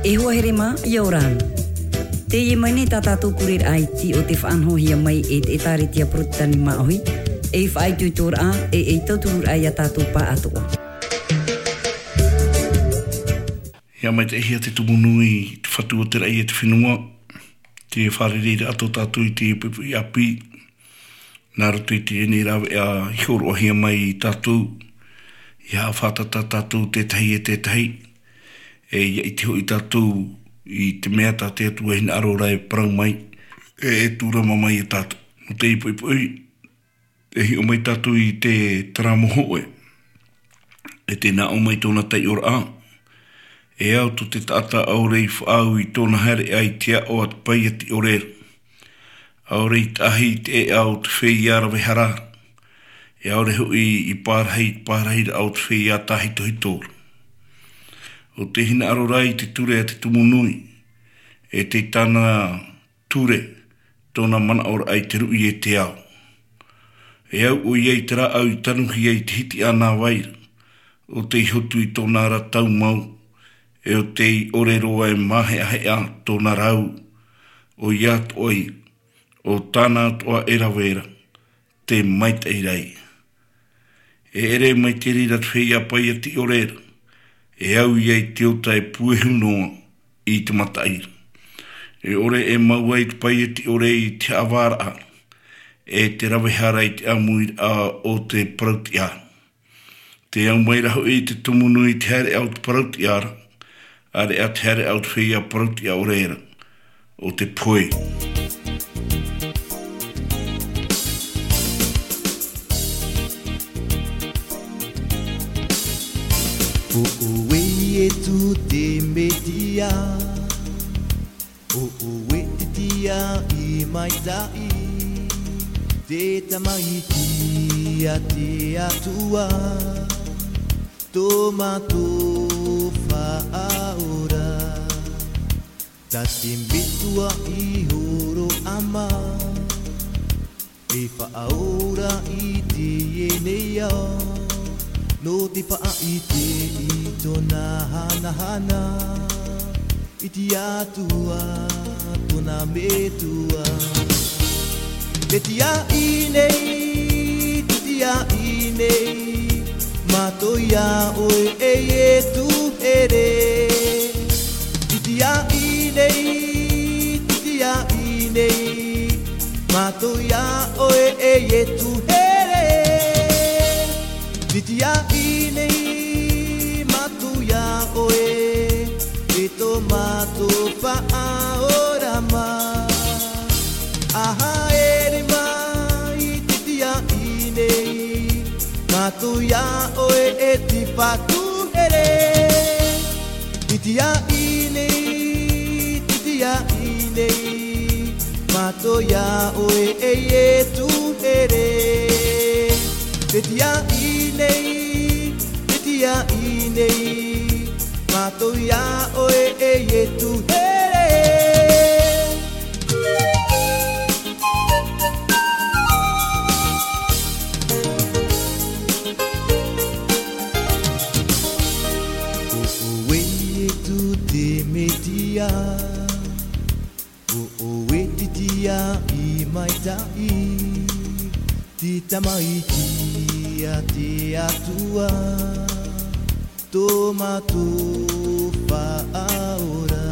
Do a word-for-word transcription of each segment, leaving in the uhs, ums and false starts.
E hoa here mā, ʻia ora na. Teie mai nei tā tātou pureraʻa iti o te faʻanahohia mai e te ʻĒtārētia Porotetani Māʻohi, ei faʻaitoitoraʻa, e ei tautururaʻa ia tātou pāʻatoʻa. ʻIa maitaʻihia te tumu nui, te Fatu o te raʻi e te fenua, te fārereiraʻa tō tātou i te puʻipuʻi ʻāpī, nā roto i teie nei rāveʻa i hōroʻahia mai ia tātou, ʻia haʻafātata tātou tētahi e tētahi, e ʻia ʻite hoʻi tātou i te mea tā te Atua e hinaʻaro ra e parau mai, e, e tūrama mai ia tātou. Nō te puʻipuʻi, e hiʻo mai tātou i te taramo hōʻē, e tē nā ʻō mai tōna taiʻoraʻa, e au tō te taʻata ʻaore i faʻaau i tōna haereʻa i te aʻo a te paia tiʻore ra. ʻAore i taʻahi i te ʻēʻa o te feiā ravehara ra, e ʻaore hoʻi i pārahi i te pārahiraʻa o te feiā tāhitohito ra. ʻO tē hinaʻaro ra i te ture a te tumu nui, e tei tāna ture, tōna manaʻoraʻa i te ruʻi e te ao. E au ʻoia i te rāʻau i tanuhia i te hitiʻa nā vai ra, ʻo tei hotu i tōna ra taumau, e ʻo tei ʻore roa e māheʻaheʻa tōna rau, ʻoia atoʻa ia, ʻo tāna atoʻa e rave ra, te maitaʻi ra ia. E ʻere mai te reira te feiā paia tiʻore ra, e au ia i te ota e puehu noa i te mataʻi ra. E ʻore e mau ai te paia tiʻore i te haʻavāraʻa, e te ravehara i te ʻāmuiraʻa o te parautiʻa ra. Tē au mai ra hoʻi te tumu nui i te haereʻa o te parautiʻa ra, ʻāreʻa te haereʻa o te feiā parautiʻa ʻore ra, ʻo te pohe. ʻO ʻoe Ietu te Mesia, ʻo ʻoe te tiaʻi maitaʻi, te Tamaiti a te Atua, tō mātou Faʻaora. Tā te Metua i hōroʻa mai, e Faʻaora i teie nei ao, nō te faʻaʻite i tōna hanahana, i te Atua tōna Metua. Te tiaʻi nei, te tiaʻi nei, mātou ia ʻoe e Ietu here. Te tiaʻi nei, te tiaʻi nei, mātou ia ʻoe e Ietu here. Te tiaʻi nei, mātou ia ʻoe, e tō mātou Faʻaora mā. ʻA haere mai te tiaʻi nei, mātou ia ʻoe e te Fatu here. Te tiaʻi nei, te tiaʻi nei, mātou ia ʻoe e Ietu here. Te tiaʻi nei, te tiaʻi nei, mātou ia ʻoe e Ietu here. ʻO ʻoe Ietu te Mesia, ʻo ʻoe te tiaʻi maitaʻi, te Tamaiti a te Atua, tō mātou Faʻaora.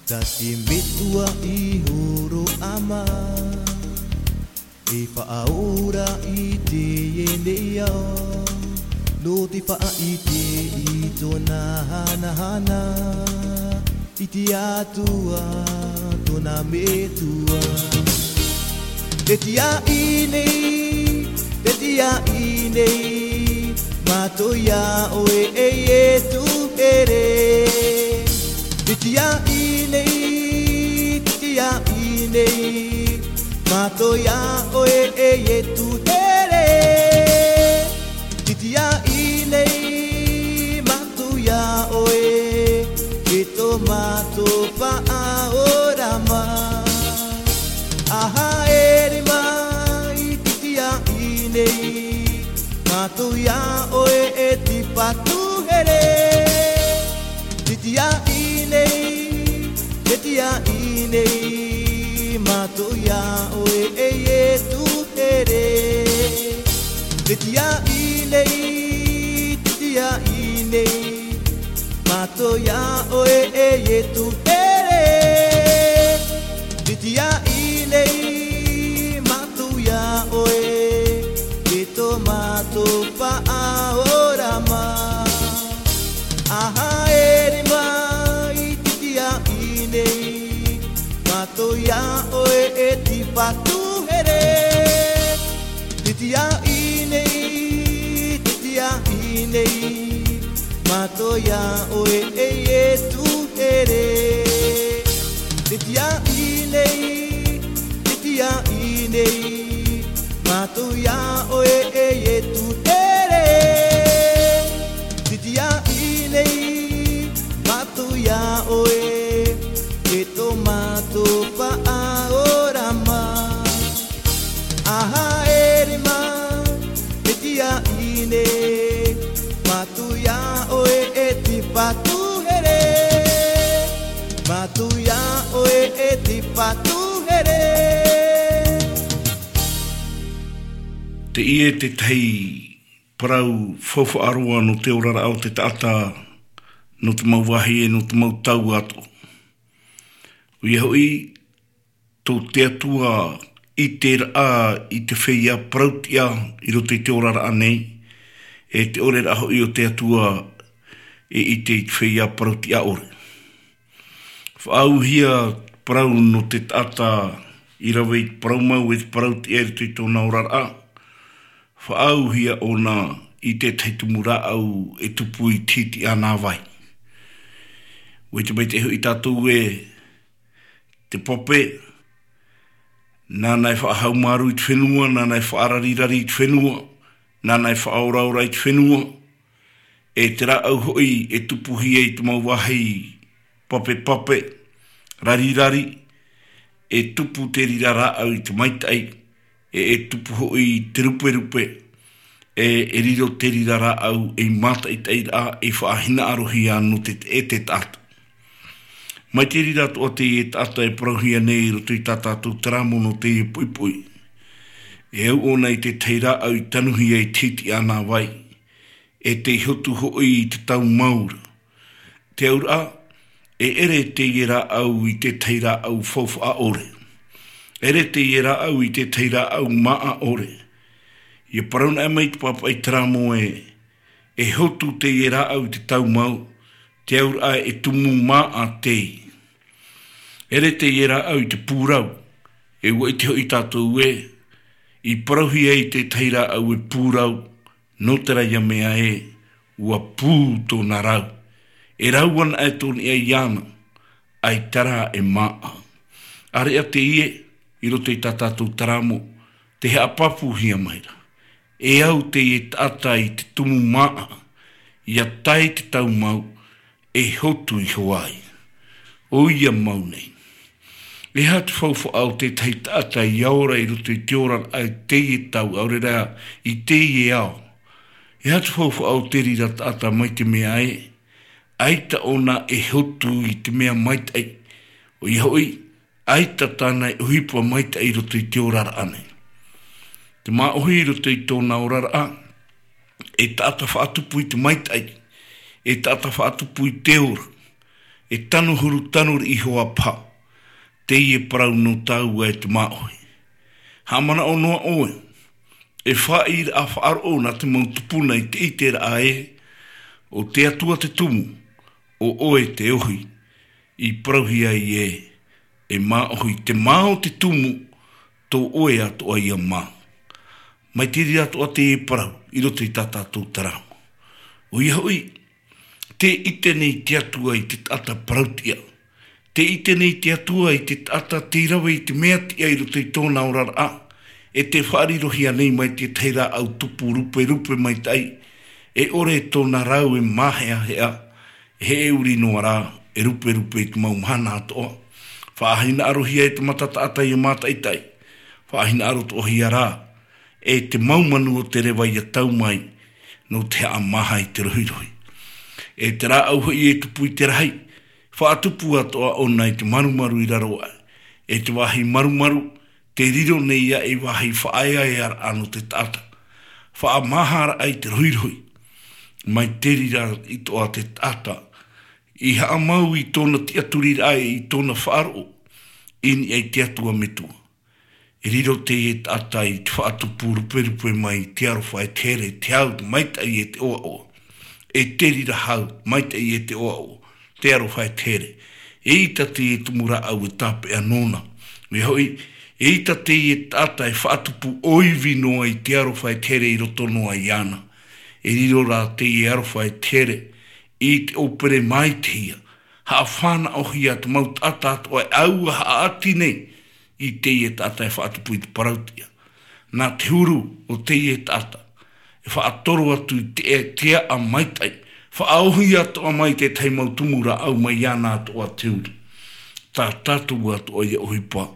Tā te Metua i hōroʻa mai, e Faʻaora i teie nei ao, nō te faʻaʻite i tōna hanahana, i te Atua tōna Metua. Te tiaʻi nei, te tiaʻi nei, mātou ia ʻoe e Ietu here. Te tiaʻi nei, te tiaʻi nei, mātou ia ʻoe e Ietu here. Te tiaʻi nei, mātou ia ʻoe, e tō mātou Faʻaora mā. ʻA haere mai te tiaʻi nei, mātou ia ʻoe e te Fatu here. Tiaʻi nei, te tiaʻi nei, mātou iā ʻoe e Ietu here. Te tiaʻi nei, te tiaʻi nei, mātou iā ʻoe e Ietu here. Te tiaʻi nei, mātou iā ʻoe, e tō mātou Paʻaorama. A haere mai te tiaʻi nei, mātou iā ʻoe e te Patu here. Te tiaʻi nei, te tiaʻi nei, mātou iā ʻoe e Ietu here. Te tiaʻi nei, te tiaʻi nei, mātou iā ʻoe e Ietu here. Te tiaʻi nei, mātou iā ʻoe, e tō mātou Paʻaorama. A haere mai, te tiaʻi nei, mātou iā ʻoe e te Patu here. Mātou iā ʻoe e te Patu here. Teie tētahi parau faufaʻa roa nō te oraraʻa o te taʻata, nō te mau vāhi e nō te mau tau atoʻa. ʻOia hoʻi, tō te Atua i ʻite ra i te feiā parauʻtiʻa i roto i te oraraʻa nei, e te ʻore ra hoʻi o te Atua e ʻite i te feiā parauʻtiʻa ʻore. Faʻaauhia parau nō te taʻata i rave i te parau mau e te parauʻtiʻa i roto i tōna oraraʻa. Faʻaauhia ʻōna i tētahi tumu rāʻau e tupu i te hitiʻa nā vai. ʻUa ʻite maitaʻi hoʻi tātou ē, te pape, nāna e faʻahaumārū i te fenua, nāna e faʻararirari i te fenua, nāna e faʻaoraora i te fenua, e te rāʻau hoʻi e tupuhia i te mau vāhi papepape, rarirari, e tupu te reira rāʻau i te maitaʻi, e, e tupu hoʻi i te ruperupe, e, e riro te reira rāʻau ei mātaʻitaʻiraʻa e faʻahinaʻarohia nō te, e te taʻata. Mai te reira atoʻa teie taʻata e parauhia nei i roto i tā tātou terā mono teie poʻipoʻi. E au ʻōna i tētahi rāʻau i tanuhia i te hitiʻa nā vai, e tei hotu hoʻi i te tau mau ra. Te auraʻa, e ʻere teie rāʻau i tētahi rāʻau faufaʻa ʻore. ʻEre teie rāʻau i tētahi rāʻau māʻa ʻore. ʻIa parau naʻe mai te pāpaʻi terā mono ē, e hotu teie rāʻau i te tau mau, te auraʻa e tumu māʻa tei. ʻEre teie rāʻau i te pūrau, e ʻua ʻite hoʻi tātou ē, i parauhia i tētahi rāʻau e pūrau, nō terā ia mea ē, ʻua pū tōna rau. E rau ana e tōna iʻa iāna, ʻaita rā e māʻa. ʻĀreʻa teie, i roto i tā tātou terā mono, tē haʻapāpūhia mai ra. E au teie taʻata i te tumu māʻa, ʻia tae te tau mau, e hotu iho ai. ʻOia mau nei. E aha te faufaʻa o tētahi taʻata ʻia ora i roto i te oraraʻa i teie tau, ʻaore rā i teie ao? E aha te faufaʻa o te reira taʻata mai te mea ē, ʻaita ʻōna e hotu i te mea maitaʻi, ʻoia hoʻi, ʻaita tāna e ʻohipa maitaʻi i roto i te oraraʻa nei. Te māʻohi i roto i tōna oraraʻa, e taʻata faʻatupu i te maitaʻi, e taʻata faʻatupu i te ora, e tano huru tano riʻi iho ā paha, teie parau nō tāua e te māʻohi. Haʻamanaʻo noa ʻoe, e faʻaʻīraʻa faʻaroʻo nā te mau tupuna i te ʻiteraʻa ē, ʻo te Atua te tumu, ʻo ʻoe te ohi, i parauhia ai ē, e māʻohi te mā o te tumu, tō ʻoe atoʻa ia mā. Mai te reira atoʻa teie parau, i roto i tā tātou terā mono. ʻOia hoʻi, tē ʻite nei te Atua i te taʻata parauʻtiʻa. Tē ʻite nei te Atua i te taʻata tei rave i te mea tiʻa i roto i tōna oraraʻa, e tē faʻarirohia nei mai tētahi rāʻau tupu ruperupe maitaʻi, e ʻore tōna rau e māheʻaheʻa, e heʻeuri noa rā, e ruperupe i te mau mahana atoʻa. Faʻahinaʻarohia e te mata taʻata ʻia mātaʻitaʻi. Faʻahinaʻarohia rā, e te mau manu o te reva ʻia tau mai, nō te haʻamāha i te rohirohi. E te rāʻau hoʻi e tupu i te rahi, faʻatupu atoʻa ʻōna i te marumaru i raro aʻe. E te vāhi marumaru, te riro nei ia ei vāhi faʻaeaearaʻa nō te taʻata. Faʻamāharaʻa i te rohirohi. Mai te reira atoʻa te taʻata i haʻamau i tōna tiʻaturiraʻa e i tōna faʻaroʻo i niʻa i te Atua Metua. E riro teie taʻata i te faʻatupu ruperupe mai te aroha e te here, te hau, te maitaʻi e te ʻoaʻoa. E te reira hau, maitaʻi e te ʻoaʻoa, te aroha e te here. Eʻita teie tumu rāʻau e tāpeʻa nōna. Mea hoʻi, eʻita teie taʻata e faʻatupu ʻoivi noa i te aroha e te here i roto noa iāna. E riro rā teie aroha e te here i te ʻōpere maitaʻi ia. Haʻafānaʻohia te mau taʻata atoʻa e ʻaua haʻati nei i teie taʻata e faʻatupu i te parauʻtiʻa. Nā te huru o teie taʻata, e faʻatoro atu i te, te aʻa maitaʻi, faʻaʻohia atoʻa mai te tahi mau tumu rāʻau mai iāna atoʻa te uri. Tā tātou atoʻa ia ʻohipa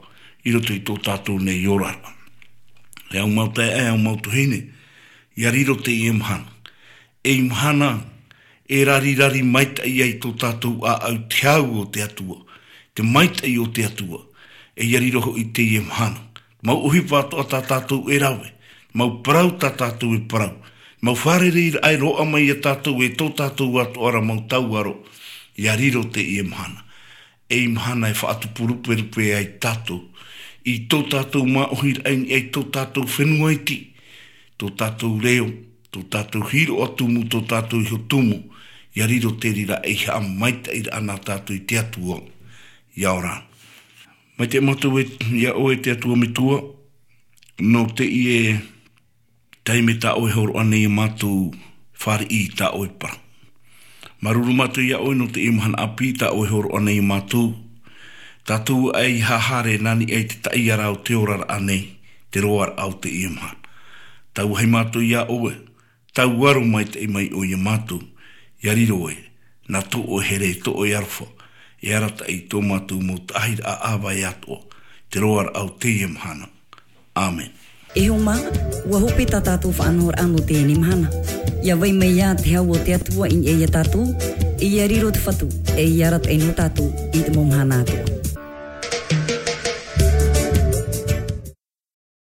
i roto i tō tātou nei oraraʻa. E au mau taeaʻe, e au mau tuahine, ia riro teie mahana. Ei mahana, e rarirari maitaʻi ai tō tātou ʻāʻau te hau o te Atua, te maitaʻi o te Atua, e ia riro hoʻi teie mahana. Mau ʻohipa atoʻa tā tātou e rave, mau parau tā tātou e parau, mau fārereiraʻa e roaʻa mai ia tātou e tō tātou atoʻa ra mau tauaro, ia riro teie mahana. Ei mahana e faʻatupu ruperupe ai tātou, i tō tātou māʻohiraʻa i niʻa i tō tātou fenua iti, tō tātou reo, tō tātou hiroʻa tumu, tō tātou iho tumu, ia riro te reira ei haʻamaitaʻiraʻa nā tātou i te Atua, ia ora. Mai te mātou e, ia ʻoe te Atua Metua, nō teie taime tā ʻoe e hōroʻa nei ia mātou, fāriʻi i tā ʻoe parau. Māuruuru mātou ia ʻoe nō teie mahana ʻāpī tā ʻoe e hōroʻa nei ia mātou. Tātou ʻae i haere nā niʻa i te taʻiara o te oraraʻa nei, te roaraʻa o teie mahana. Tauahi mātou ia ʻoe, tauaro maitaʻi mai ʻoe ia mātou, ia riro ē, nā tō ʻoe here, tō ʻoe aroha, e arataʻi i tō mātou mau taʻahiraʻa ʻāvae atoʻa, te roaraʻa o teie mahana. ʻĀmene. E hoa mā, ʻua hope tā tātou faʻanahoraʻa nō teie mahana. ʻIa vai mai ā te hau o te Atua i niʻa ia tātou, e ʻia riro te Fatu, e ʻia arataʻi nō tātou i te mau mahana atoʻa.